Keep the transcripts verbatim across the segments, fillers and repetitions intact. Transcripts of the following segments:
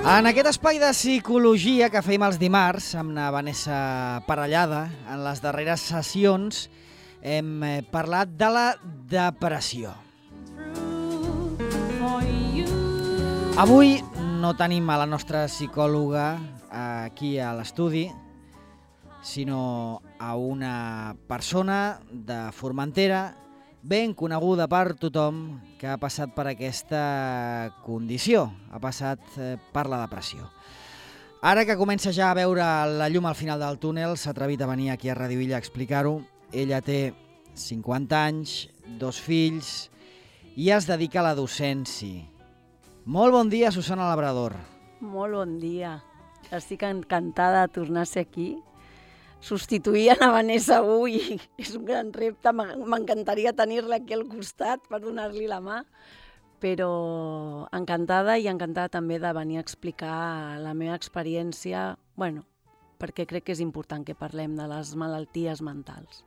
En aquest espai de psicologia que fèiem els dimarts amb la Vanessa Parellada, en les darreres sessions hem parlat de la depressió. Avui no tenim a la nostra psicòloga aquí a l'estudi, sinó a una persona de Formentera ben coneguda per tothom que ha passat per aquesta condició, ha passat per la depressió. Ara que comença ja a veure la llum al final del túnel, s'ha atrevit a venir aquí a Ràdio Illa a explicar-ho. Ella té cinquanta anys, dos fills i es dedica a la docència. Molt bon dia, Susana Labrador. Molt bon dia. Estic encantada de tornar a ser aquí. Substituir a Vanessa avui és un gran repte, m'encantaria tenir-la aquí al costat per donar-li la mà, però encantada i encantada també de venir a explicar la meva experiència, bueno, perquè crec que és important que parlem de les malalties mentals.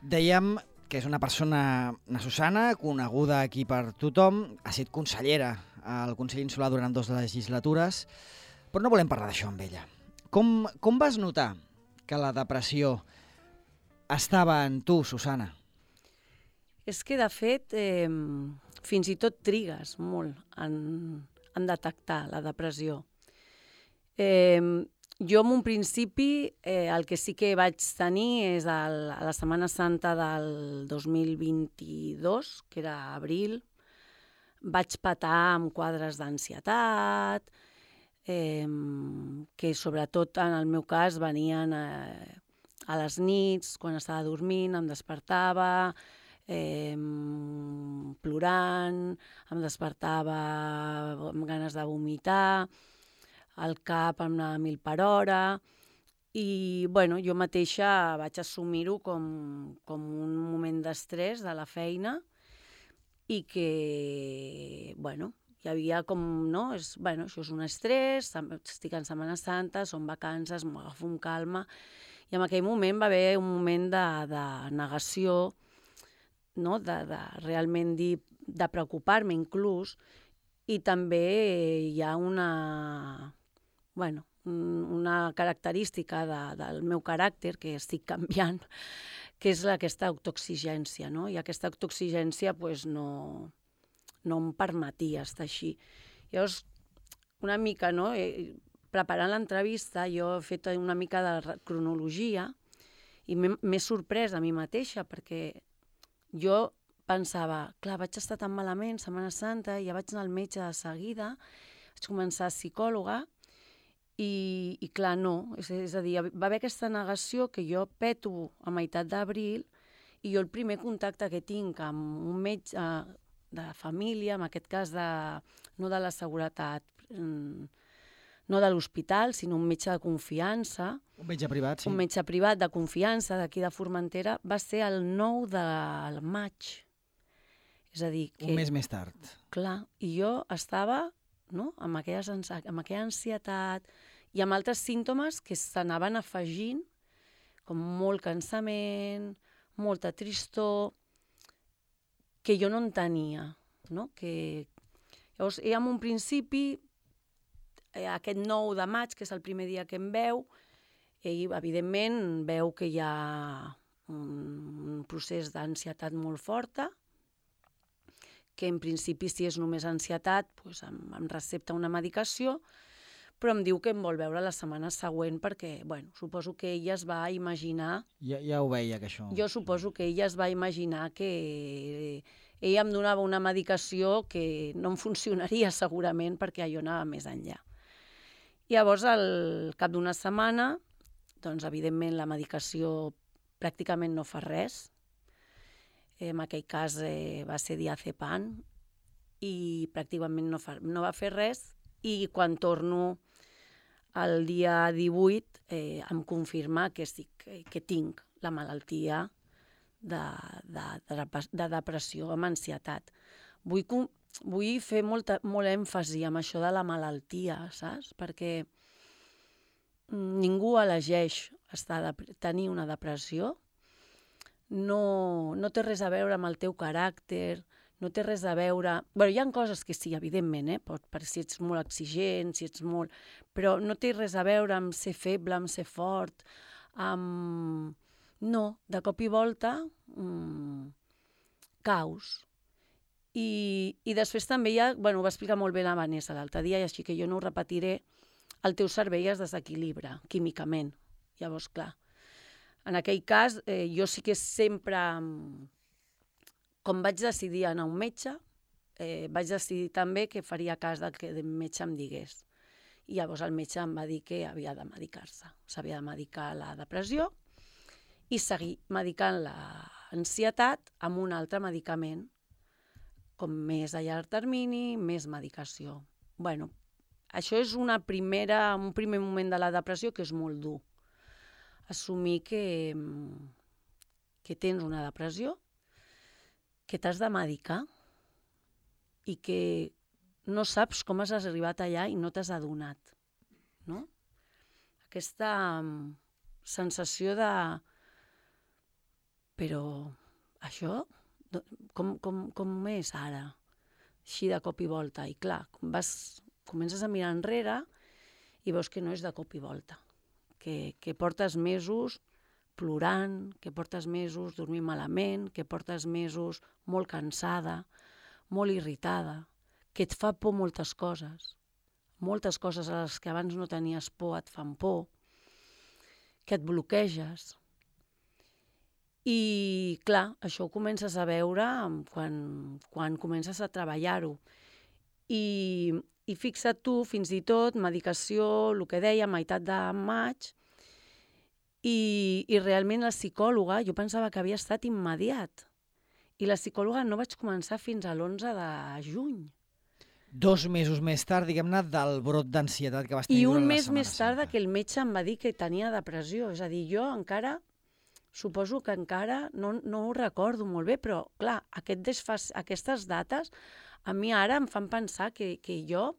Dèiem que és una persona, una Susana, coneguda aquí per tothom, ha estat consellera al Consell Insular durant dues legislatures, però no volem parlar d'això amb ella. Com, com vas notar que la depressió estava en tu, Susana? És que, de fet, eh, fins i tot trigues molt en, en detectar la depressió. Eh, jo, en un principi, eh, el que sí que vaig tenir és el, a la Setmana Santa del dos mil vint-i-dos, que era abril, vaig patar amb quadres d'ansietat, Eh, que sobretot en el meu cas venien eh, a les nits, quan estava dormint, em despertava eh, plorant, em despertava amb ganes de vomitar, el cap em anava a mil per hora i bueno, jo mateixa vaig assumir-ho com, com un moment d'estrès de la feina i que, bueno, hi havia com, no, és, bueno, això és un estrès, estic en Setmana Santa, són vacances, m'ho agafo amb calma, i en aquell moment va haver un moment de, de negació, no, de, de realment dir, de preocupar-me inclús, i també hi ha una, bueno, una característica de, del meu caràcter que estic canviant, que és aquesta autoexigència, no? I aquesta autoexigència, doncs, no... no em permetia estar així. Llavors, una mica, no? Preparant l'entrevista, jo he fet una mica de cronologia i m'he sorprès a mi mateixa perquè jo pensava, clar, vaig estar tan malament, Setmana Santa, ja vaig anar al metge de seguida, vaig començar a psicòloga i, i clar, no. És, és a dir, va haver aquesta negació que jo peto a meitat d'abril i jo el primer contacte que tinc amb un metge de família, en aquest cas de, no de la seguretat, no de l'hospital, sinó un metge de confiança. Un metge privat, sí. Un metge privat de confiança d'aquí de Formentera, va ser el nou de maig. És a dir, que... Un mes més tard. Clar, i jo estava, no?, amb, aquella, amb aquella ansietat i amb altres símptomes que s'anaven afegint, com molt cansament, molta tristor, que jo no en tenia, no? Que... Llavors, ja en un principi, aquest nou de maig, que és el primer dia que em veu, ell, evidentment, veu que hi ha un procés d'ansietat molt forta, que en principi, si és només ansietat, doncs em, em recepta una medicació, però em diu que em vol veure la setmana següent perquè, bueno, suposo que ella es va imaginar... Ja, ja ho veia, que això... Jo suposo que ella es va imaginar que ella em donava una medicació que no em funcionaria segurament perquè jo anava més enllà. Llavors, al cap d'una setmana, doncs, evidentment, la medicació pràcticament no fa res. En aquell cas eh, va ser diazepam i pràcticament no, fa, no va fer res i quan torno el dia divuit eh, em confirma que, estic, que tinc la malaltia de, de, de, de depressió amb ansietat. Vull, vull fer molta, molt èmfasi amb això de la malaltia, saps? Perquè ningú elegeix estar de, tenir una depressió, no, no té res a veure amb el teu caràcter, no té res a veure... Bé, hi ha coses que sí, evidentment, eh? Pot, per si ets molt exigent, si ets molt... Però no té res a veure amb ser feble, amb ser fort, amb... No, de cop i volta, mmm, caos. I, I després també hi ha... Bueno, ho va explicar molt bé la Vanessa l'altre dia, i així que jo no ho repetiré, el teu cervell es desequilibra químicament. Llavors, clar, en aquell cas, eh, jo sí que sempre... Com vaig decidir anar a un metge, eh, vaig decidir també que faria cas del que el metge em digués. I llavors el metge em va dir que havia de medicar-se. S'havia de medicar la depressió i seguir medicant l'ansietat amb un altre medicament, com més a llarg termini, més medicació. Bueno, això és una primera, un primer moment de la depressió que és molt dur. Assumir que, que tens una depressió, que t'has de medicar i que no saps com has arribat allà i no t'has adonat, no? Aquesta sensació de... Però això, com, com, com és ara? Així de cop i volta. I clar, vas, comences a mirar enrere i veus que no és de cop i volta, que, que portes mesos plorant, que portes mesos dormint malament, que portes mesos molt cansada, molt irritada, que et fa por moltes coses. Moltes coses a les que abans no tenies por et fan por, que et bloqueges. I, clar, això ho comences a veure quan, quan comences a treballar-ho. I, I fixa't tu, fins i tot, medicació, el que deia, meitat de maig, I, i realment la psicòloga, jo pensava que havia estat immediat, i la psicòloga no vaig començar fins a l'onze de juny. Dos mesos més tard, diguem-ne, del brot d'ansietat que vas tenir I durant un la mes Setmana més tard Santa. que el metge em va dir que tenia depressió. És a dir, jo encara, suposo que encara, no, no ho recordo molt bé, però clar, aquest desfas, aquestes dates a mi ara em fan pensar que, que jo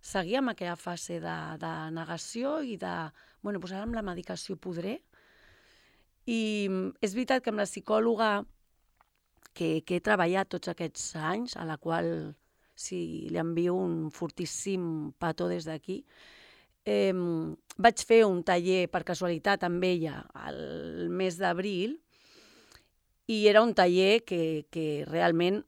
seguia amb aquella fase de, de negació i de, bueno, doncs ara amb la medicació podré. I és veritat que amb la psicòloga que, que he treballat tots aquests anys, a la qual si li envio un fortíssim petó des d'aquí, eh, vaig fer un taller per casualitat amb ella el mes d'abril i era un taller que, que realment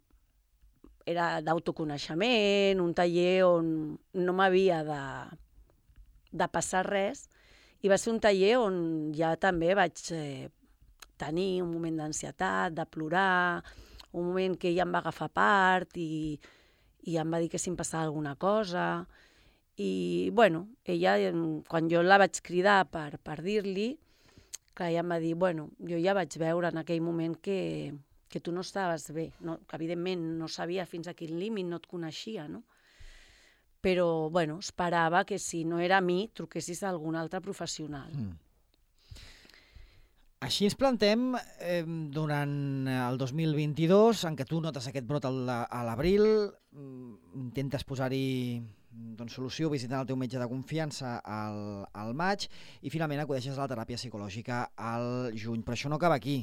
era d'autoconeixement, un taller on no m'havia de, de passar res, i va ser un taller on ja també vaig eh, tenir un moment d'ansietat, de plorar, un moment que ella em va agafar part i, i em va dir que si em passava alguna cosa. I, bueno, ella, quan jo la vaig cridar per, per dir-li, que ella em va dir, bueno, jo ja vaig veure en aquell moment que, que tu no estaves bé, no? Que evidentment no sabia fins a quin límit, no et coneixia, no? Però, bueno, esperava que si no era a mi, truquessis a algun altre professional. Mm. Així ens plantem eh, durant el dos mil vint-i-dos, en què tu notes aquest brot a l'abril, intentes posar-hi doncs, solució visitant el teu metge de confiança al, al maig i finalment acudeixes a la teràpia psicològica al juny. Però això no acaba aquí.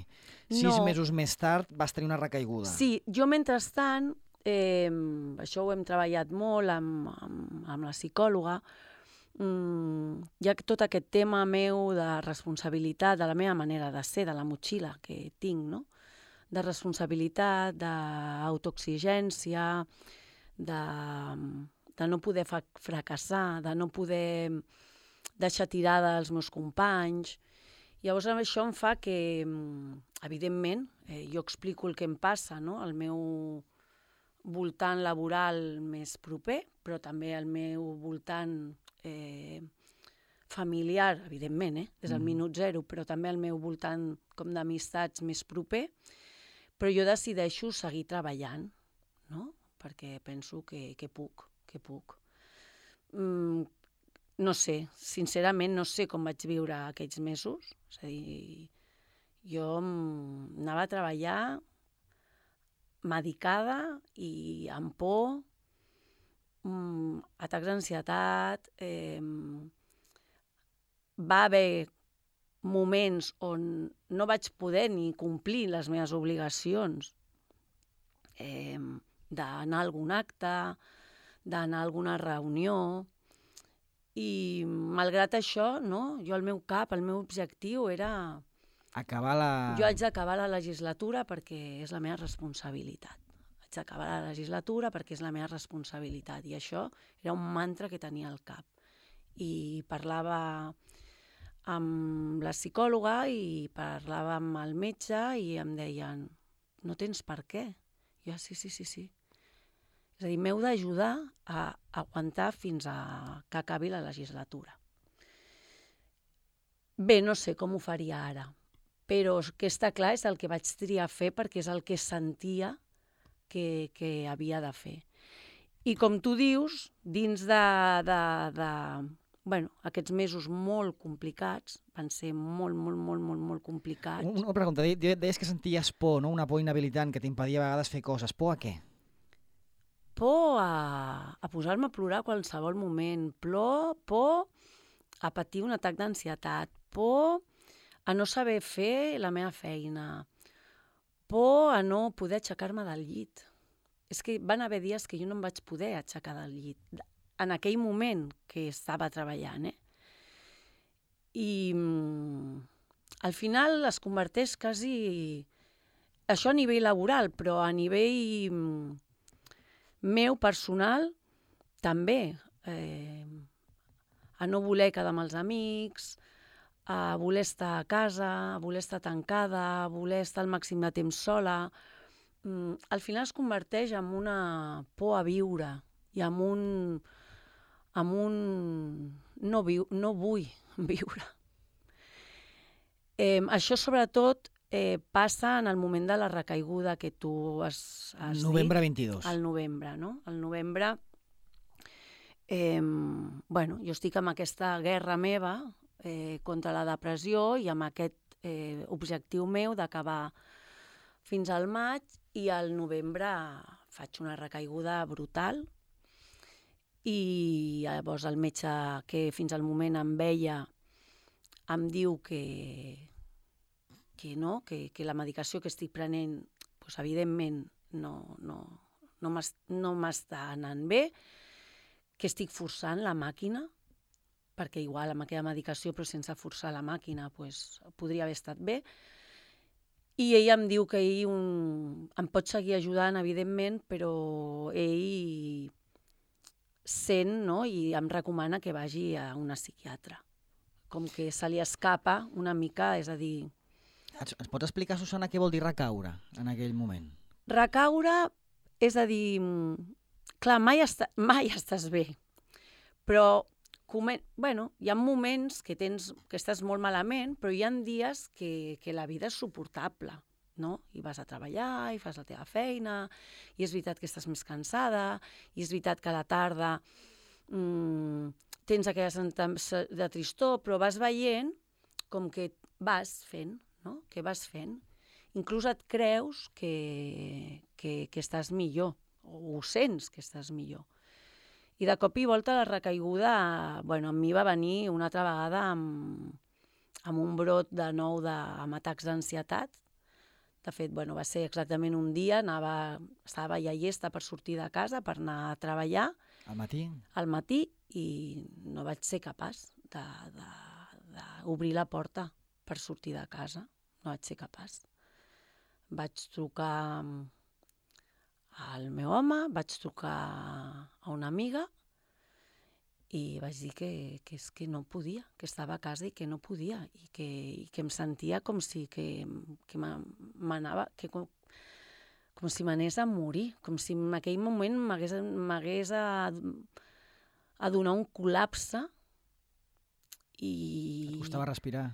Sis no. mesos més tard vas tenir una recaiguda. Sí, jo mentrestant, eh, això ho hem treballat molt amb, amb, amb la psicòloga, mm, hi ha tot aquest tema meu de responsabilitat, de la meva manera de ser, de la motxilla que tinc, no? De responsabilitat, d'autoexigència, de, de no poder fracassar, de no poder deixar tirada els meus companys. Llavors això em fa que, evidentment, eh, jo explico el que em passa, no? El meu voltant laboral més proper, però també el meu voltant eh, familiar, evidentment, eh? Des del mm. minut zero, però també el meu voltant com d'amistats més proper, però jo decideixo seguir treballant, no? Perquè penso que, que puc, que puc. Mm, no sé, sincerament no sé com vaig viure aquells mesos, és a dir, jo anava a treballar medicada i amb por, mm, atacs d'ansietat, eh, va haver moments on no vaig poder ni complir les meves obligacions eh, d'anar a algun acte, d'anar a alguna reunió, i malgrat això, no, jo el meu cap, el meu objectiu era... Acabar la... Jo haig d'acabar la legislatura perquè és la meva responsabilitat. Haig d'acabar la legislatura perquè és la meva responsabilitat. I això era un mantra que tenia al cap. I parlava amb la psicòloga i parlava amb el metge i em deien, no tens per què? Jo, sí, sí, sí, sí. És a dir, m'heu d'ajudar a aguantar fins a que acabi la legislatura. Bé, no sé com ho faria ara, però el que està clar és el que vaig triar fer perquè és el que sentia que, que havia de fer. I com tu dius, dins de, de, de bueno, aquests mesos molt complicats, van ser molt, molt, molt, molt, molt complicats. Una pregunta, deies que senties por, no? Una por inhabilitant que t'impedia a vegades fer coses. Por a què? Por a, a posar-me a plorar a qualsevol moment, por, por a patir un atac d'ansietat, por a no saber fer la meva feina, por a no poder aixecar-me del llit. És que van haver dies que jo no em vaig poder aixecar del llit, en aquell moment que estava treballant. Eh? I mm, al final es converteix quasi... Això a nivell laboral, però a nivell... Mm, meu personal, també, eh, a no voler quedar amb els amics, a voler estar a casa, a voler estar tancada, a voler estar el màxim de temps sola. Mm, al final es converteix en una por a viure i en un... en un... no, viu, no vull viure. Eh, això, sobretot, Eh, passa en el moment de la recaiguda que tu has, has novembre dit. vint-i-dos. Al novembre, no? Al novembre, eh, bueno, jo estic amb aquesta guerra meva eh, contra la depressió i amb aquest eh, objectiu meu d'acabar fins al maig, i al novembre faig una recaiguda brutal i llavors el metge que fins al moment em veia em diu que... que no, que, que la medicació que estic prenent, doncs, evidentment, no, no, no m'està anant bé, que estic forçant la màquina, perquè igual amb aquella medicació, però sense forçar la màquina, doncs, podria haver estat bé. I ell em diu que ell un... em pot seguir ajudant, evidentment, però ell sent, no?, i em recomana que vagi a una psiquiatra. Com que se li escapa una mica, és a dir... Ens pots explicar, Susana, què vol dir recaure en aquell moment? Recaure és a dir, clar, mai, està, mai estàs bé, però bueno, hi ha moments que, tens, que estàs molt malament, però hi ha dies que, que la vida és suportable, no? I vas a treballar, i fas la teva feina, i és veritat que estàs més cansada, i és veritat que a la tarda mmm, tens aquella sensació de tristor, però vas veient com que vas fent, no? Que vas fent. Inclús et creus que, que, que estàs millor, o ho sents que estàs millor. I de cop i volta la recaiguda, bueno, a mi va venir una altra vegada amb, amb un brot de nou de, amb atacs d'ansietat. De fet, bueno, va ser exactament un dia, anava, estava ja llesta per sortir de casa, per anar a treballar. Al matí? Al matí, i no vaig ser capaç d'obrir la porta per sortir de casa, no vaig ser capaç. Vaig trucar al meu home, vaig trucar a una amiga i vaig dir que, que, que no podia, que estava a casa i que no podia, i que, i que em sentia com si que, que m'anava, que com, com si m'anés a morir, com si en aquell moment m'hagués a, a donar un col·lapse. I... Et costava respirar?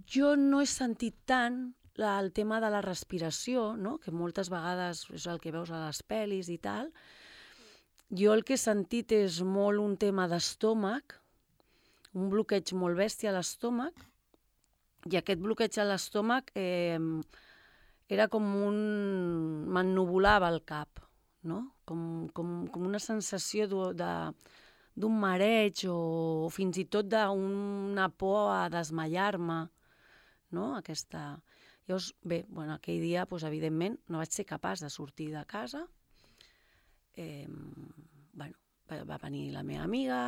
Jo no he sentit tant el tema de la respiració, no? Que moltes vegades és el que veus a les pel·lis i tal. Jo el que he sentit és molt un tema d'estómac, un bloqueig molt bèstia a l'estómac, i aquest bloqueig a l'estómac eh, era com un... m'ennuvolava el cap, no? Com, com, com una sensació de... d'un mareig o fins i tot d'una por a desmaiar-me, no? Aquesta... Llavors, bé, bueno, aquell dia, doncs, evidentment, no vaig ser capaç de sortir de casa. Eh, bueno, va, va venir la meva amiga,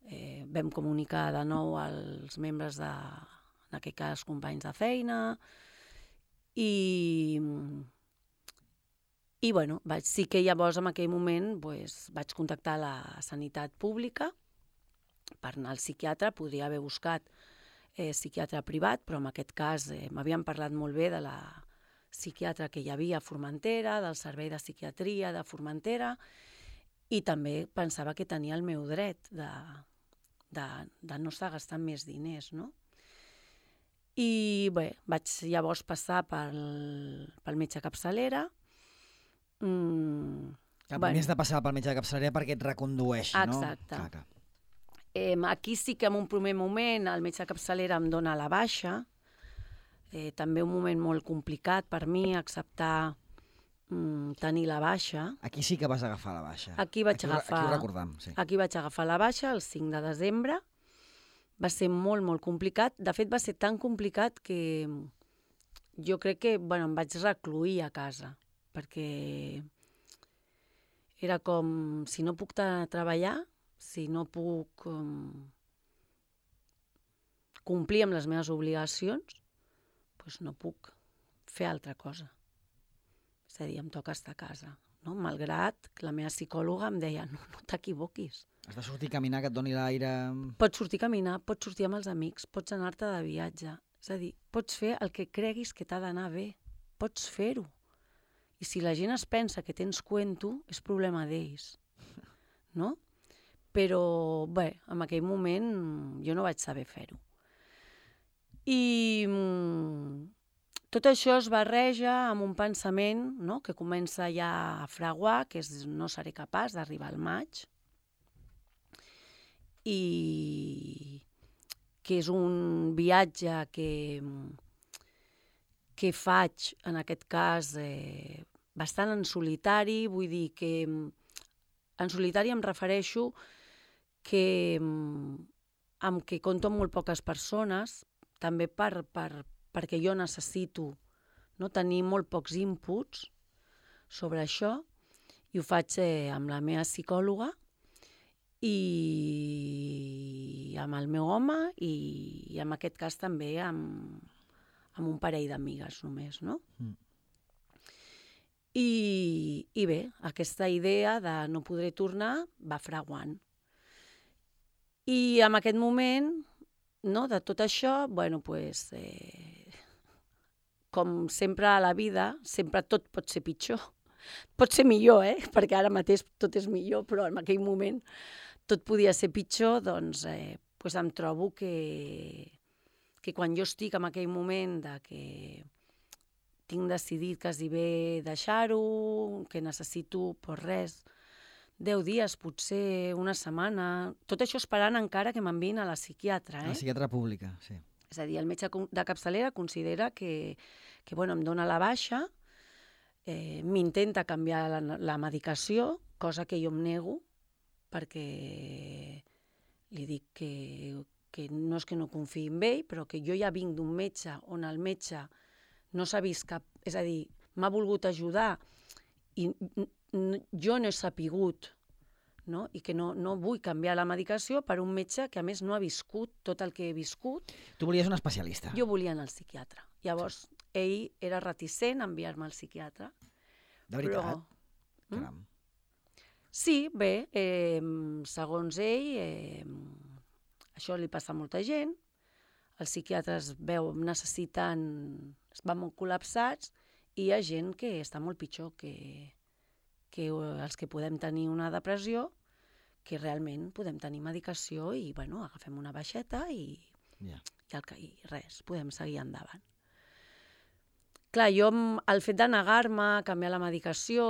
eh, vam comunicar de nou als membres de, en aquest cas, companys de feina, i, i bueno, vaig, sí que llavors en aquell moment doncs, vaig contactar la sanitat pública per anar al psiquiatre, podria haver buscat eh, psiquiatre privat, però en aquest cas eh, m'havien parlat molt bé de la psiquiatra que hi havia a Formentera, del servei de psiquiatria de Formentera, i també pensava que tenia el meu dret de, de, de no estar gastant més diners, no? I bé, vaig llavors passar pel, pel metge capçalera. Mm, que bueno. Més de passar pel metge de capçalera perquè et recondueixi, no? Exacte. Clar, clar. Eh, aquí sí que en un primer moment el metge de capçalera em dona la baixa. Eh, també un moment molt complicat per mi acceptar mm, tenir la baixa. Aquí sí que vas agafar la baixa. Aquí vaig aquí, agafar, aquí ho recordam, sí. Aquí vaig agafar la baixa el cinc de desembre. Va ser molt, molt complicat. De fet, va ser tan complicat que jo crec que bueno, em vaig recluir a casa, perquè era com, si no puc treballar, si no puc um, complir amb les meves obligacions, doncs no puc fer altra cosa. És a dir, em toca estar a casa, no? Malgrat que la meva psicòloga em deia, no, no t'equivoquis. Has de sortir a caminar, que et doni l'aire... Pots sortir a caminar, pots sortir amb els amics, pots anar-te de viatge. És a dir, pots fer el que creguis que t'ha d'anar bé. Pots fer-ho. I si la gent es pensa que tens cuento, és problema d'ells. No? Però, bé, en aquell moment jo no vaig saber fer-ho. I tot això es barreja amb un pensament, no?, que comença ja a fraguar, que és no seré capaç d'arribar al maig, i que és un viatge que, que faig, en aquest cas, eh, bastant en solitari. Vull dir que en solitari em refereixo que amb que compto amb molt poques persones, també per, per, perquè jo necessito, no, tenir molt pocs inputs sobre això, i ho faig eh, amb la meva psicòloga, i amb el meu home i, i en aquest cas també amb, amb un parell d'amigues només, no? Mm. I, I bé, aquesta idea de no podré tornar va fraguant. I en aquest moment, no, de tot això, bueno, pues, eh, com sempre a la vida, sempre tot pot ser pitjor. Pot ser millor, eh? Perquè ara mateix tot és millor, però en aquell moment tot podia ser pitjor, doncs, eh, pues em trobo que, que quan jo estic en aquell moment de que tinc decidit quasi bé deixar-ho, que necessito, pues res, deu dies, potser una setmana, tot això esperant encara que m'enviïn a la psiquiatra. Eh? A la psiquiatra pública, sí. És a dir, el metge de capçalera considera que, que bueno, em dona la baixa, eh, m'intenta canviar la, la medicació, cosa que jo em nego, perquè li dic que, que no és que no confiï en ell, però que jo ja vinc d'un metge on el metge no s'ha vist cap... És a dir, m'ha volgut ajudar i jo no he sapigut, no? I que no, no vull canviar la medicació per un metge que a més no ha viscut tot el que he viscut. Tu volies un especialista. Jo volia anar al psiquiatre. Llavors, sí. Ell era reticent a enviar-me al psiquiatre. De veritat? Però... Caram. Mm? Sí, bé, eh, segons ell, eh, això li passa a molta gent, els psiquiatres veu, necessiten, es van molt col·lapsats, i hi ha gent que està molt pitjor que, que els que podem tenir una depressió, que realment podem tenir medicació i, bueno, agafem una baixeta i, yeah. i, el, i res, podem seguir endavant. Clar, jo, el fet de negar-me, canviar la medicació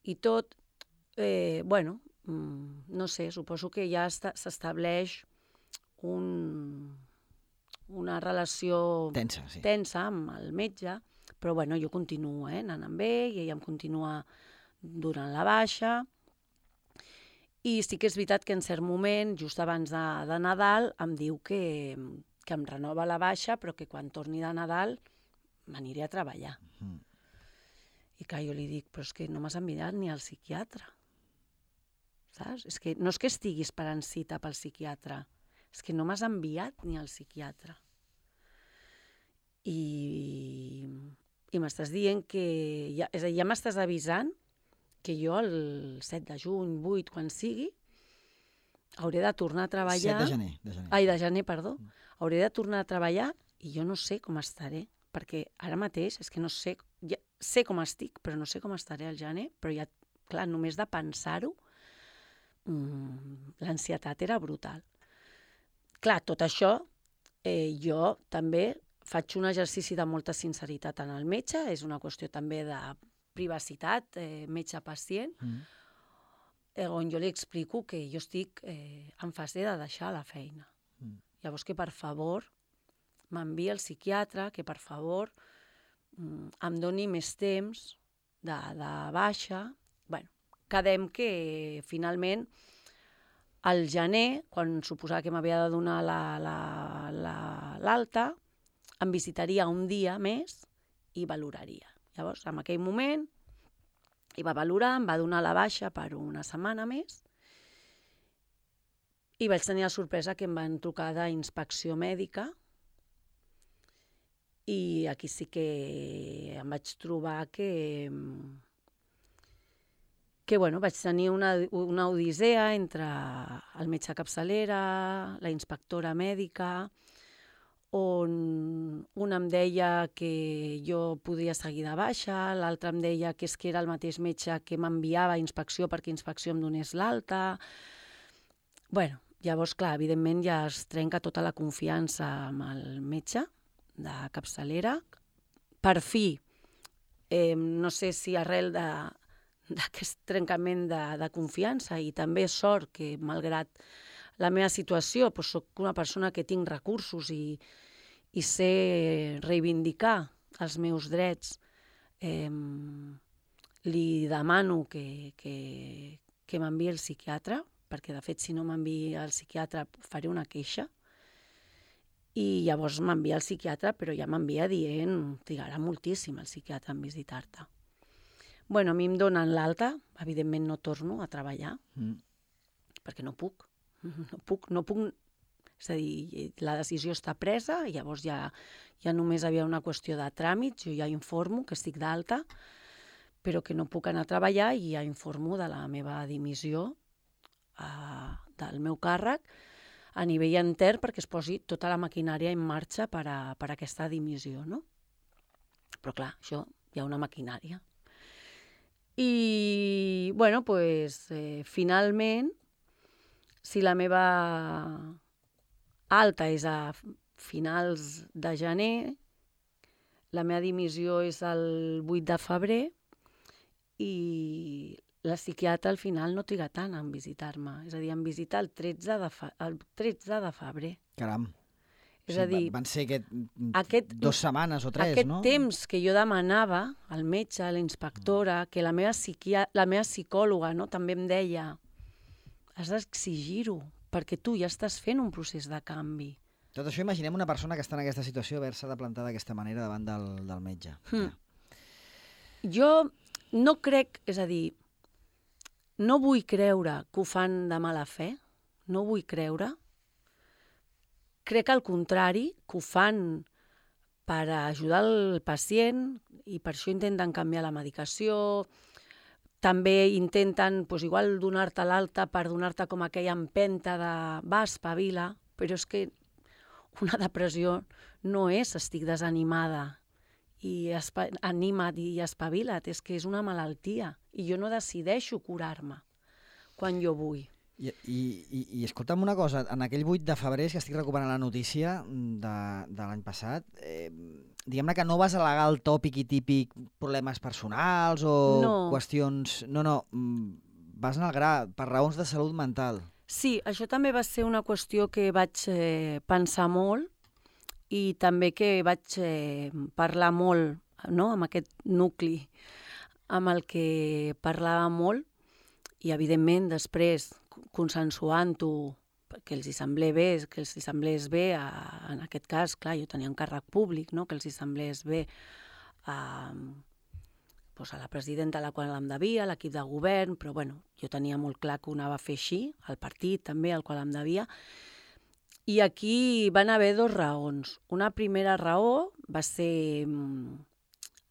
i tot, Eh, bueno, no sé, suposo que ja s'estableix un, una relació tensa, sí. tensa amb el metge, però bueno, jo continuo eh, anant amb ell i ell em continua durant la baixa. I sí que és veritat que en cert moment, just abans de, de Nadal, em diu que, que em renova la baixa, però que quan torni de Nadal m'aniré a treballar. Mm. I clar, jo li dic, però és que no m'has enviat ni al psiquiatre. Saps? És que no és que estigui esperant cita pel psiquiatre, és que no m'has enviat ni al psiquiatre. I, i m'estàs dient que... Ja, és a dir, ja m'estàs avisant que jo el set de juny, vuit, quan sigui, hauré de tornar a treballar... set de gener. De gener. Ai, de gener, perdó. Mm. Hauré de tornar a treballar i jo no sé com estaré, perquè ara mateix és que no sé... Ja sé com estic, però no sé com estaré al gener, però ja, clar, només de pensar-ho, mmm, l'ansietat era brutal. Clar, tot això, eh, jo també faig un exercici de molta sinceritat en el metge, és una qüestió també de privacitat, eh, metge-pacient, mm. eh, on jo li explico que jo estic eh, en fase de deixar la feina. Mm. Llavors que, per favor, m'envia el psiquiatre, que, per favor, mm, em doni més temps de, de baixa. Bueno, quedem que, finalment, al gener, quan suposava que m'havia de donar l'alta, la, la, em visitaria un dia més i valoraria. Llavors, en aquell moment, hi va valorar, em va donar la baixa per una setmana més i vaig tenir la sorpresa que em van trucar d'inspecció mèdica i aquí sí que em vaig trobar que, que bueno, vaig tenir una, una odissea entre el metge capçalera, la inspectora mèdica, on un em deia que jo podia seguir de baixa, l'altre em deia que és que era el mateix metge que m'enviava a inspecció perquè inspecció em donés l'alta. Bueno, llavors, clar, evidentment ja es trenca tota la confiança amb el metge de capçalera. Per fi, eh, no sé si arrel d'aquest trencament de, de confiança i també sort que, malgrat la meva situació, doncs soc una persona que tinc recursos i, i sé reivindicar els meus drets, eh, li demano que, que, que m'enviï el psiquiatre, perquè de fet si no m'envia el psiquiatre faré una queixa, i llavors m'envia el psiquiatre, però ja m'envia dient trigarà moltíssim el psiquiatre en visitar-te. Bueno, a mi em donen l'alta, evidentment no torno a treballar, mm. perquè no puc. No puc, no puc, és a dir, la decisió està presa, llavors ja, ja només havia una qüestió de tràmits, jo ja informo que estic d'alta, però que no puc anar a treballar i ja informo de la meva dimissió eh, del meu càrrec a nivell intern perquè es posi tota la maquinària en marxa per a, per a aquesta dimissió, no? Però clar, això hi ha una maquinària. I, bueno, doncs, eh, finalment, si la meva alta és a finals de gener, la meva dimissió és el vuit de febrer i la psiquiatra al final no triga tant en visitar-me. És a dir, em visita el tretze de, fe... el tretze de febrer. Caram. És sí, a dir, van ser aquest, aquest, dues setmanes o tres, aquest no? Aquest temps que jo demanava al metge, a la inspectora, que la meva, psiquia... la meva psicòloga no, també em deia has d'exigir-ho, perquè tu ja estàs fent un procés de canvi. Tot això, imaginem una persona que està en aquesta situació haver-se de plantar d'aquesta manera davant del, del metge. Hmm. Ja. Jo no crec, és a dir, no vull creure que ho fan de mala fe, no vull creure. Crec al contrari, que ho fan per ajudar el pacient i per això intenten canviar la medicació. També intenten, doncs, igual donar-te l'alta per donar-te com aquella empenta de va, espavila, però és que una depressió no és estic desanimada i espa anima't i espavila't, és que és una malaltia i jo no decideixo curar-me quan jo vull. I, i, i, i escolta'm una cosa, en aquell vuit de febrer, que estic recuperant la notícia de, de l'any passat, eh, diguem-ne que no vas al·legar el tòpic i típic problemes personals o no. qüestions... No, no, vas anar al gra, per raons de salut mental. Sí, això també va ser una qüestió que vaig eh, pensar molt i també que vaig eh, parlar molt, no?, amb aquest nucli amb el que parlava molt i, evidentment, després consensuant-ho que els hi semblés bé, que els hi semblés bé a, en aquest cas, clar, jo tenia un càrrec públic, no? Que els hi semblés bé a, doncs a la presidenta a la qual em devia, a l'equip de govern, però bueno, jo tenia molt clar que ho anava a fer així, al partit també, al qual em devia. I aquí van haver dues raons. Una primera raó va ser mm,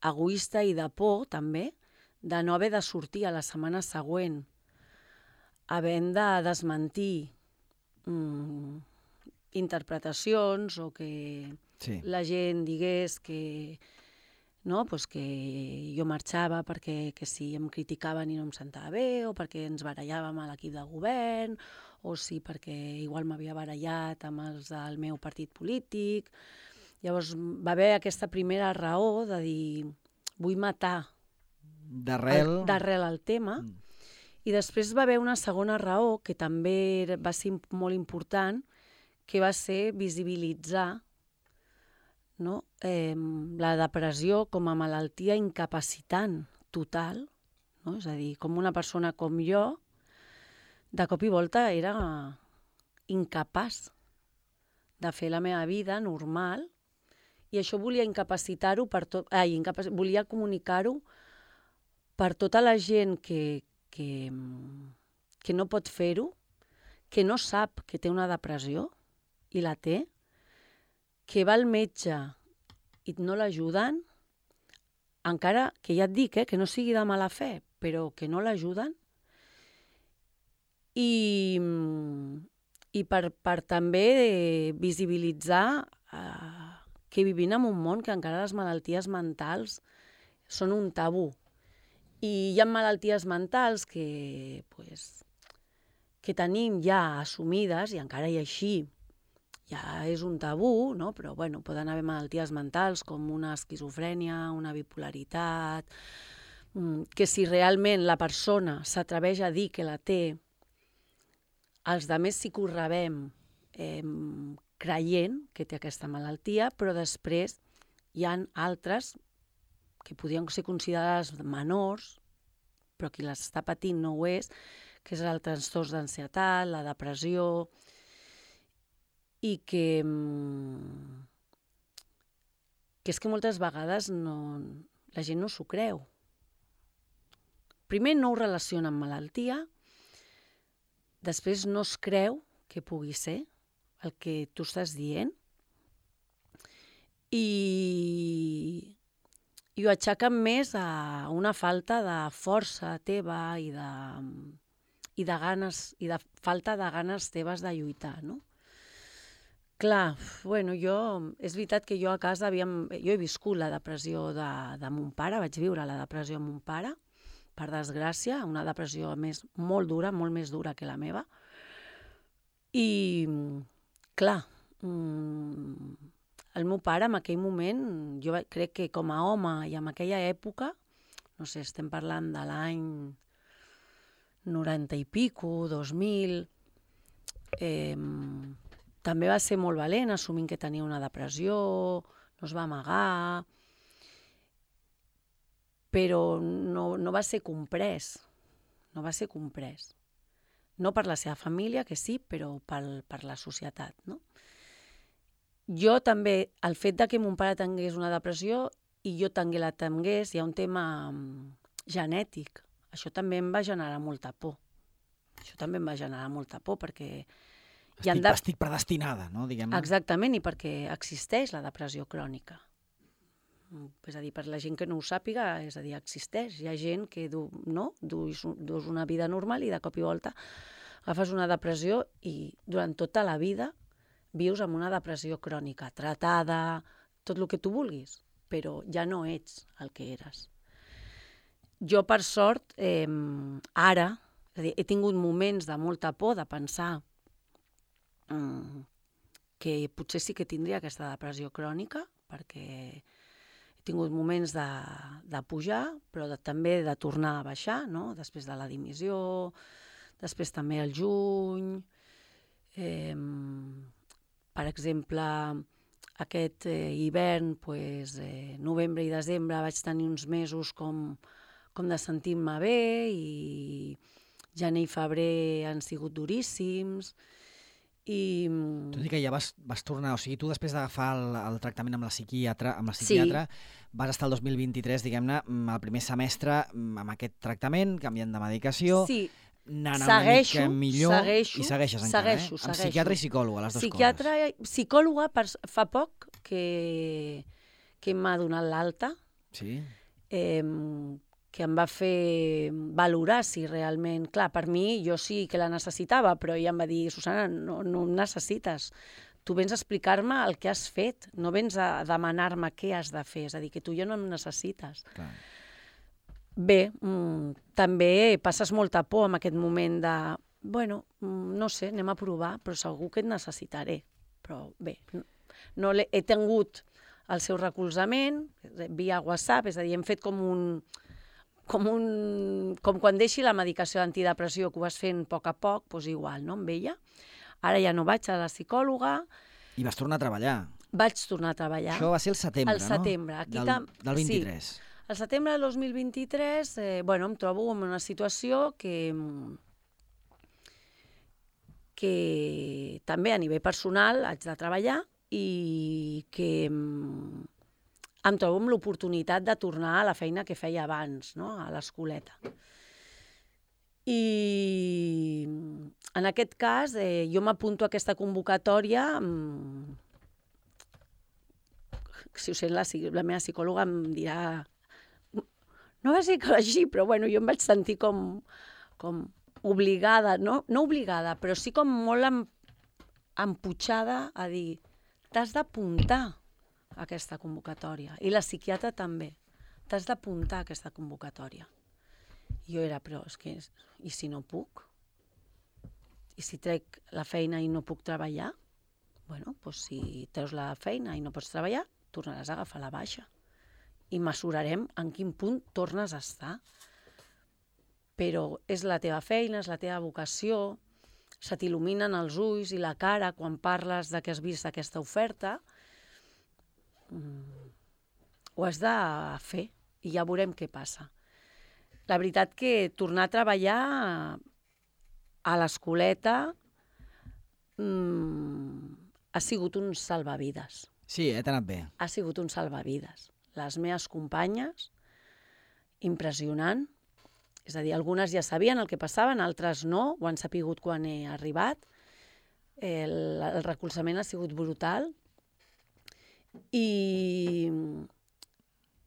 egoista i de por, també, de no haver de sortir a la setmana següent, havent de desmentir mm, interpretacions o que sí. La gent digués que, no, pues que jo marxava perquè que si em criticaven i no em sentava bé, o perquè ens barallàvem a l'equip de govern, o si perquè igual m'havia barallat amb els del meu partit polític. Llavors va haver aquesta primera raó de dir vull matar d'arrel el, d'arrel el tema, mm. I després va haver una segona raó que també va ser molt important, que va ser visibilitzar, no? eh, la depressió com a malaltia incapacitant total, no? És a dir, com una persona com jo, de cop i volta era incapaç de fer la meva vida normal, i això volia incapacitar-ho per tot, ai, incapac... volia comunicar-ho per tota la gent que, que, que no pot fer-ho, que no sap que té una depressió i la té, que va al metge i no l'ajuden, encara que ja et dic eh, que no sigui de mala fe, però que no l'ajuden, i, i per, per també visibilitzar eh, que vivim en un món que encara les malalties mentals són un tabú. I hi ha malalties mentals que, pues, que tenim ja assumides, i encara i així ja és un tabú, no? Però bueno, poden haver malalties mentals com una esquizofrènia, una bipolaritat, que si realment la persona s'atreveix a dir que la té, els altres sí que ho rebem eh, creient que té aquesta malaltia, però després hi ha altres que podrien ser considerades menors, però qui les està patint no ho és, que és el trastorn d'ansietat, la depressió, i que, que és que moltes vegades no, la gent no s'ho creu. Primer no ho relaciona amb malaltia, després no es creu que pugui ser el que tu estàs dient, i, i ho aixequen més a una falta de força teva i de, i de ganes, i de falta de ganes teves de lluitar, no? Clar, bueno, jo, és veritat que jo a casa havíem, jo he viscut la depressió de, de mon pare, vaig viure la depressió de mon pare, per desgràcia, una depressió més molt dura, molt més dura que la meva. I, clar, el meu pare en aquell moment, jo crec que com a home i en aquella època, no sé, estem parlant de l'any noranta i pico, dos mil, eh, també va ser molt valent, assumint que tenia una depressió, no es va amagar, però no, no va ser comprès, no va ser comprès. No per la seva família, que sí, però per, per la societat, no? Jo també, el fet de que mon pare tingués una depressió i jo també la tingués, hi ha un tema genètic. Això també em va generar molta por. Això també em va generar molta por, perquè... Estic, de... estic predestinada, no? Diguem-ne. Exactament, i perquè existeix la depressió crònica. És a dir, per la gent que no ho sàpiga, és a dir, existeix. Hi ha gent que du, no? dus, dus una vida normal i de cop i volta agafes una depressió i durant tota la vida vius amb una depressió crònica, tratada, tot el que tu vulguis, però ja no ets el que eres. Jo, per sort, eh, ara, és a dir, he tingut moments de molta por, de pensar eh, que potser sí que tindria aquesta depressió crònica, perquè he tingut moments de, de pujar, però de, també de tornar a baixar, no? Després de la dimissió, després també al juny. Eh, per exemple, aquest eh, hivern, pues, eh, novembre i desembre, vaig tenir uns mesos com, com de sentir-me bé, i gener i febrer han sigut duríssims, I... Tot i que ja vas, vas tornar, o sigui, tu després d'agafar el, el tractament amb la psiquiatra, amb la psiquiatra sí. vas estar el dos mil vint-i-tres, diguem-ne, el primer semestre amb aquest tractament, canviant de medicació, sí. anant segueixo, una mica millor segueixo, i segueixes encara, segueixo, eh? Amb segueixo. psiquiatra i psicòloga, les dues psiquiatra, coses. Psicòloga, per, fa poc que, que m'ha donat l'alta, sí. eh, que em va fer valorar si realment... Clar, per mi, jo sí que la necessitava, però ella em va dir, Susana, no, no em necessites. Tu vens a explicar-me el que has fet, no vens a demanar-me què has de fer, és a dir, que tu ja no em necessites. Clar. Bé, mm, també passes molta por en aquest moment de, bueno, no sé, anem a provar, però segur que et necessitaré. Però bé, no he tingut el seu recolzament via WhatsApp, és a dir, hem fet com un... Com, un, com quan deixi la medicació d'antidepressió que ho vas fent a poc a poc, doncs igual, no?, amb ella. Ara ja no vaig a la psicòloga. I vas tornar a treballar. Vaig tornar a treballar. Això va ser el setembre, el setembre. no? Aquí del, tam... del vint-i-tres. Sí. El setembre del dos mil vint-i-tres, eh, bueno, em trobo en una situació que, que també a nivell personal haig de treballar i que... em trobo amb l'oportunitat de tornar a la feina que feia abans, no?, a l'escoleta. I en aquest cas, eh, jo m'apunto a aquesta convocatòria, amb... si ho sent la, la meva psicòloga em dirà... No va ser així, però bueno, jo em vaig sentir com, com obligada, no? No obligada, però sí com molt em, emputxada a dir, t'has d'apuntar a aquesta convocatòria. I la psiquiatra també. T'has d'apuntar a aquesta convocatòria. I jo era, però és que, i si no puc? I si trec la feina i no puc treballar? Bueno, doncs si treus la feina i no pots treballar, tornaràs a agafar la baixa. I mesurarem en quin punt tornes a estar. Però és la teva feina, és la teva vocació, se t'il·luminen els ulls i la cara quan parles de que has vist aquesta oferta, ho has de fer i ja veurem què passa. La veritat que tornar a treballar a l'escoleta mmm, ha sigut un salvavides. Sí, eh, t'ha anat bé. Ha sigut un salvavides. Les meves companyes, impressionant. És a dir, algunes ja sabien el que passaven, altres no, ho han sapigut quan he arribat. El, el recolzament ha sigut brutal. I,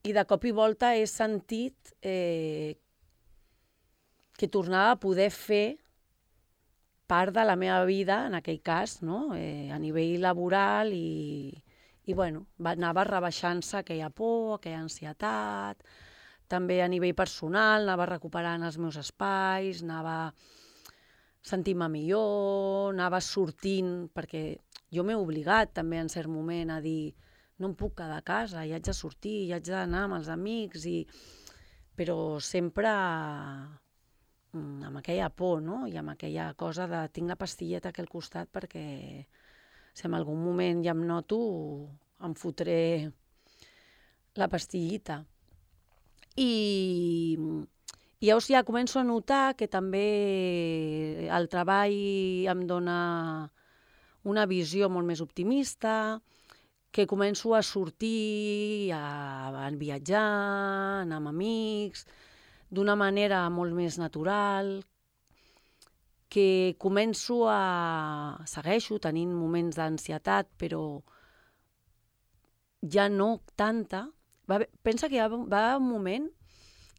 i de cop i volta he sentit eh, que tornava a poder fer part de la meva vida, en aquell cas, no? eh, a nivell laboral i, i bueno, anava rebaixant-se aquella por, aquella ansietat, també a nivell personal, anava recuperant els meus espais, anava sentint-me millor, anava sortint, perquè jo m'he obligat també en cert moment a dir no em puc quedar a casa, hi haig de sortir, hi haig d'anar amb els amics, i... però sempre amb aquella por, no? I amb aquella cosa de tinc la pastilleta aquí al costat perquè si en algun moment ja em noto em fotré la pastillita. I, i llavors ja començo a notar que també el treball em dona una visió molt més optimista, que començo a sortir, a, a viatjar, a anar amb amics, d'una manera molt més natural, que començo a... segueixo tenint moments d'ansietat, però ja no tanta. Va, pensa que hi va, va un moment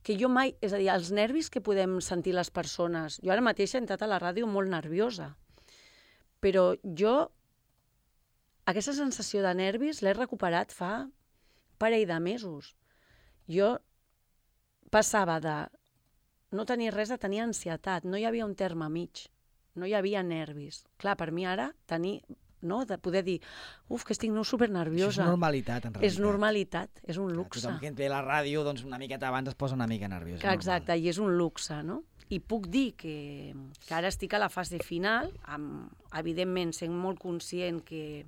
que jo mai... És a dir, els nervis que podem sentir les persones... Jo ara mateix he entrat a la ràdio molt nerviosa, però jo... Aquesta sensació de nervis l'he recuperat fa un parell de mesos. Jo passava de no tenir res a tenir ansietat, no hi havia un terme mig, no hi havia nervis. Clar, per mi ara tenir, no, de poder dir, uf, que estic no supernerviosa. Això és normalitat, en realitat. És normalitat, és un luxe. Tothom que ve a la ràdio, doncs una miqueta abans es posa una mica nerviós. Exacte, i és un luxe, no? I puc dir que, que ara estic a la fase final, amb, evidentment sent molt conscient que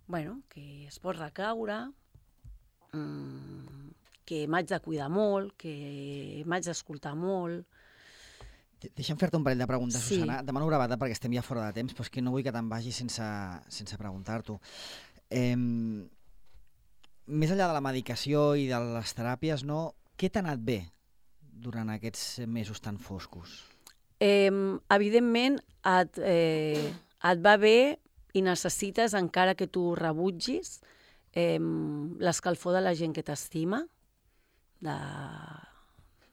bueno, que es pot recaure, que m'haig de cuidar molt, que m'haig d'escoltar molt, Deixa'm fer-te un parell de preguntes, Sí. Susana. Demano bravada perquè estem ja fora de temps, però és que no vull que te'n vagis sense, sense preguntar-t'ho. Eh, més enllà de la medicació i de les teràpies, no, què t'ha anat bé durant aquests mesos tan foscos? Eh, evidentment, et, eh, et va bé i necessites, encara que tu rebutgis, eh, l'escalfor de la gent que t'estima, de,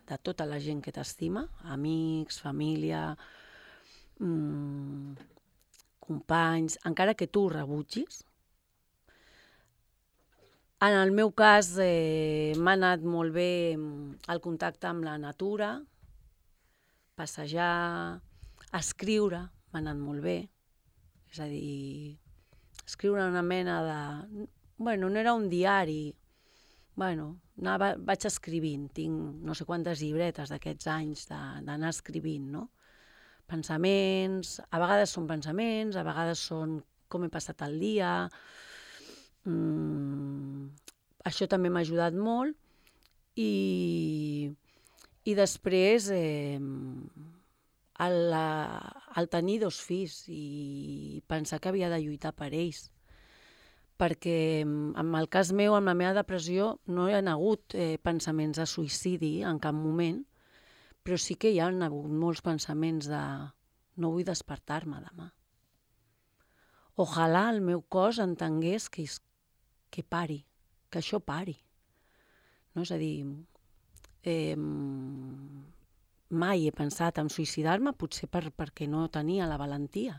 de tota la gent que t'estima, amics, família, mmm, companys, encara que tu ho rebutgis. En el meu cas, eh, m'ha anat molt bé el contacte amb la natura, passejar, escriure, m'ha anat molt bé. És a dir, escriure una mena de... Bueno, no era un diari. Bueno, anava, vaig escrivint. Tinc no sé quantes llibretes d'aquests anys d'anar escrivint, no? Pensaments, a vegades són pensaments, a vegades són com he passat el dia. Mm, això també m'ha ajudat molt. I, i després, eh, el, el tenir dos fills i pensar que havia de lluitar per ells. Perquè en el cas meu, amb la meva depressió, no hi ha hagut eh, pensaments de suïcidi en cap moment, però sí que hi ha hagut molts pensaments de no vull despertar-me demà. Ojalà el meu cos entengués que, que pari, que això pari. No? És a dir, eh, mai he pensat en suïcidar-me, potser per, perquè no tenia la valentia.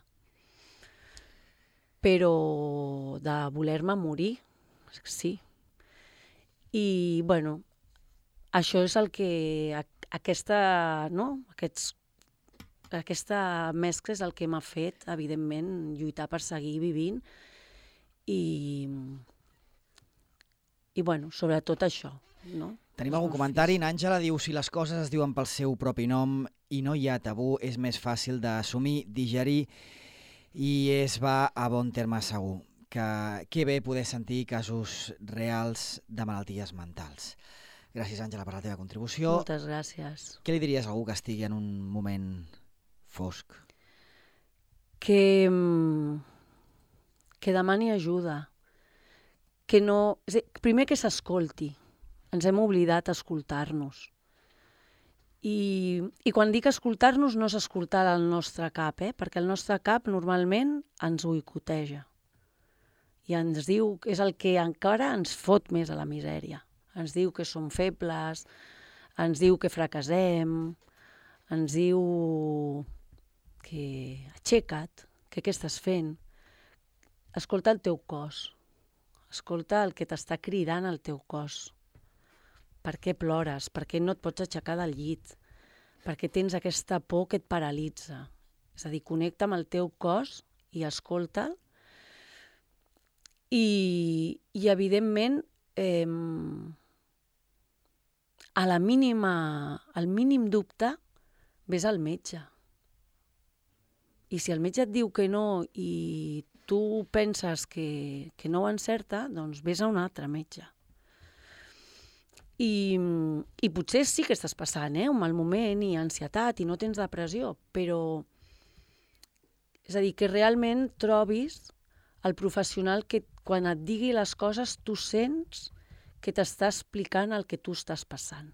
Però de voler-me morir, sí. I, bueno, això és el que... Aquesta, no? Aquests, aquesta mescla és el que m'ha fet, evidentment, lluitar per seguir vivint i, i bueno, sobretot això, no? Tenim algun comentari? N'Àngela diu: si les coses es diuen pel seu propi nom i no hi ha tabú, és més fàcil d'assumir, digerir i es va a bon terme segur. Que, que bé poder sentir casos reals de malalties mentals. Gràcies, Àngela, per la teva contribució. Moltes gràcies. Què li diries a algú que estigui en un moment fosc? Que, que demani ajuda. Que no... Primer que s'escolti. Ens hem oblidat d'escoltar-nos. I, I quan dic escoltar-nos no és escoltar el nostre cap, eh? Perquè el nostre cap normalment ens boicoteja. I ens diu, és el que encara ens fot més a la misèria. Ens diu que som febles, ens diu que fracassem, ens diu que aixeca't, que què estàs fent. Escolta el teu cos, escolta el que t'està cridant el teu cos. Per què plores? Per què no et pots aixecar del llit? Per què tens aquesta por que et paralitza? És a dir, connecta amb el teu cos i escolta'l. I, i evidentment, eh, a la mínima, al mínim dubte, vés al metge. I si el metge et diu que no i tu penses que, que no ho encerta, doncs vés a un altre metge. I, i potser sí que estàs passant eh, un mal moment i ansietat i no tens depressió, però és a dir, que realment trobis el professional que quan et digui les coses tu sents que t'està explicant el que tu estàs passant.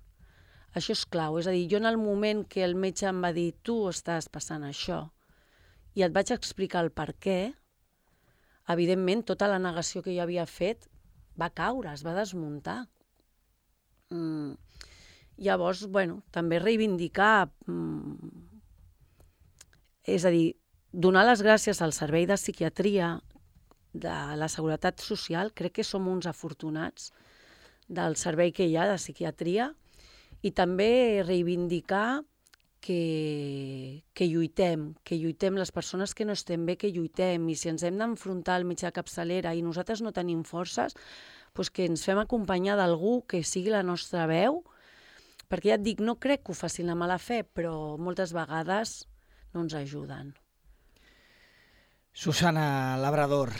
Això és clau, és a dir, jo en el moment que el metge em va dir tu estàs passant això i et vaig explicar el per què, evidentment tota la negació que jo havia fet va caure, es va desmuntar. Mm. Llavors, bueno, també reivindicar, mm, és a dir, donar les gràcies al servei de psiquiatria de la Seguretat Social, crec que som uns afortunats del servei que hi ha de psiquiatria, i també reivindicar que, que lluitem, que lluitem les persones que no estem bé, que lluitem, i si ens hem d'enfrontar al mitjà capçalera i nosaltres no tenim forces, doncs que ens fem acompanyar d'algú que sigui la nostra veu, perquè ja et dic, no crec que ho facin la mala fe, però moltes vegades no ens ajuden. Susana Labrador,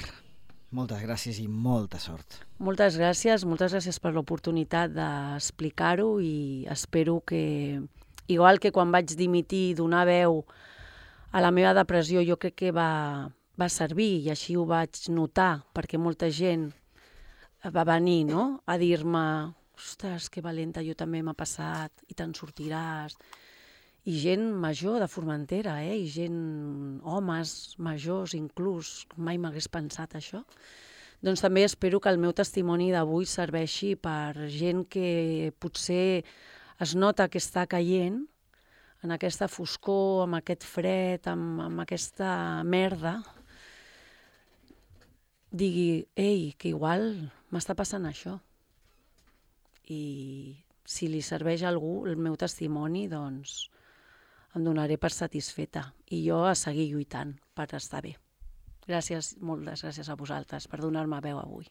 moltes gràcies i molta sort. Moltes gràcies, moltes gràcies per l'oportunitat d'explicar-ho i espero que, igual que quan vaig dimitir, donar veu a la meva depressió, jo crec que va, va servir i així ho vaig notar, perquè molta gent va venir, no?, a dir-me ostres, que valenta, jo també m'ha passat, i te'n sortiràs. I gent major de Formentera, eh? I gent, homes majors inclús, mai m'hagués pensat això. Doncs també espero que el meu testimoni d'avui serveixi per gent que potser es nota que està caient en aquesta foscor, amb aquest fred, amb, amb aquesta merda, digui, ei, que igual m'està passant això. I si li serveix a algú el meu testimoni, doncs em donaré per satisfeta. I jo a seguir lluitant per estar bé. Gràcies, moltes gràcies a vosaltres per donar-me veu avui.